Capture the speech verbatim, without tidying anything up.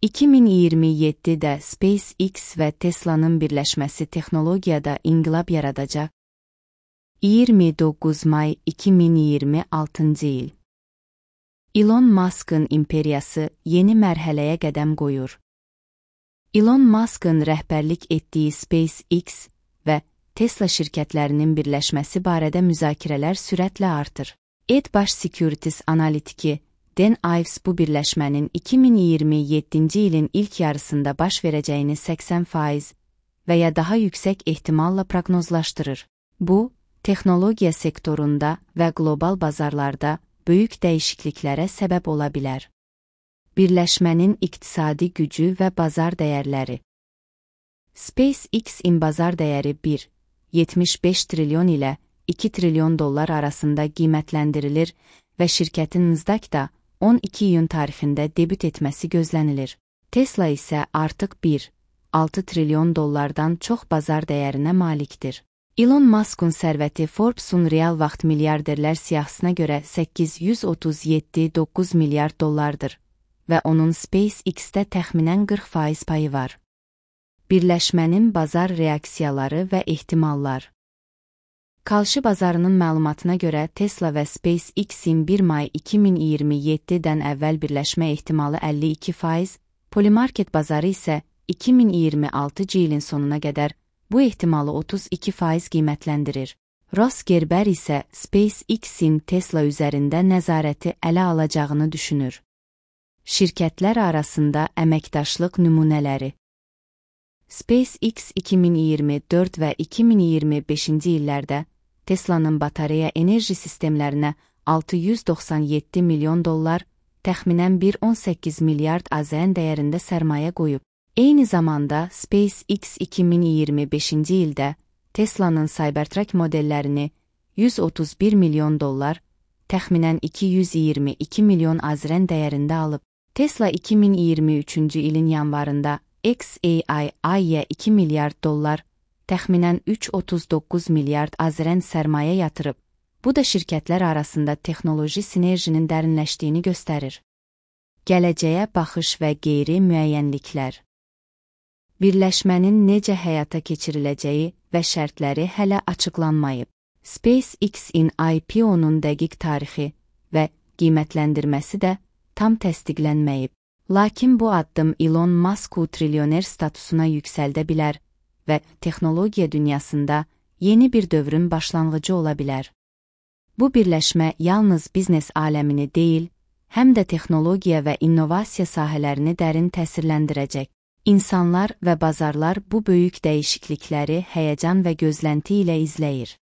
iki min iyirmi yeddidə SpaceX və Tesla'nın birləşməsi texnologiyada inqilab yaradacaq. iyirmi doqquz may iki min iyirmi altıncı il. Elon Musk'ın imperiyası yeni mərhələyə qədəm qoyur. Elon Musk'ın rəhbərlik etdiyi SpaceX və Tesla şirkətlərinin birləşməsi barədə müzakirələr sürətlə artır. Edge Securities analitiki Dan Ives bu birləşmənin iki min iyirmi yeddinci ilin ilk yarısında baş verəcəyini səksən faiz və ya daha yüksək ehtimalla proqnozlaşdırır. Bu, texnologiya sektorunda və qlobal bazarlarda böyük dəyişikliklərə səbəb ola bilər. Birləşmənin iqtisadi gücü və bazar dəyərləri. SpaceX-in bazar dəyəri bir nöqtə yetmiş beş trilyon ilə iki trilyon dollar arasında qiymətləndirilir və şirkətin Nasdaqda on iki iyun tarixində debüt etməsi gözlənilir. Tesla isə artıq bir nöqtə altı trilyon dollardan çox bazar dəyərinə malikdir. Elon Musk'un sərvəti Forbes-un real vaxt milyarderlər siyahısına görə səkkiz yüz otuz yeddi nöqtə doqquz milyard dollardır və onun SpaceX-də təxminən qırx faiz payı var. Birləşmənin bazar reaksiyaları və ehtimallar. Kalşı bazarının məlumatına görə Tesla və SpaceX-in bir may iki min iyirmi yeddidən əvvəl birləşmə ehtimalı əlli iki faiz, Polymarket bazarı isə iki min iyirmi altıncı ilin sonuna qədər bu ehtimalı otuz iki faiz qiymətləndirir. Ross Gerber isə SpaceX-in Tesla üzərində nəzarəti ələ alacağını düşünür. Şirkətlər arasında əməkdaşlıq nümunələri. SpaceX iki min iyirmi dörd və iki min iyirmi beşinci illərdə Tesla'nın batareya enerji sistemlərinə altı yüz doxsan yeddi milyon dollar, təxminən bir nöqtə on səkkiz milyard AZN dəyərində sərmayə qoyub. Eyni zamanda SpaceX iki min iyirmi beşinci ildə Tesla'nın Cybertruck modellərini yüz otuz bir milyon dollar, təxminən iki yüz iyirmi iki milyon AZN dəyərində alıb. Tesla iki min iyirmi üçüncü ilin yanvarında X A I-yə iki milyard dollar, təxminən üç nöqtə otuz doqquz milyard AZN sərmayə yatırıb. Bu da şirkətlər arasında texnoloji sinerjinin dərinləşdiyini göstərir. Gələcəyə baxış və qeyri müəyyənliklər. Birləşmənin necə həyata keçiriləcəyi və şərtləri hələ açıqlanmayıb. SpaceX-in I P O-nun dəqiq tarixi və qiymətləndirməsi də tam təsdiqlənməyib. Lakin bu addım Elon Musk'u trilyoner statusuna yüksəldə bilər və texnologiya dünyasında yeni bir dövrün başlanğıcı ola bilər. Bu birləşmə yalnız biznes aləmini deyil, həm də texnologiya və innovasiya sahələrini dərin təsirləndirəcək. İnsanlar və bazarlar bu böyük dəyişiklikləri həyəcan və gözlənti ilə izləyir.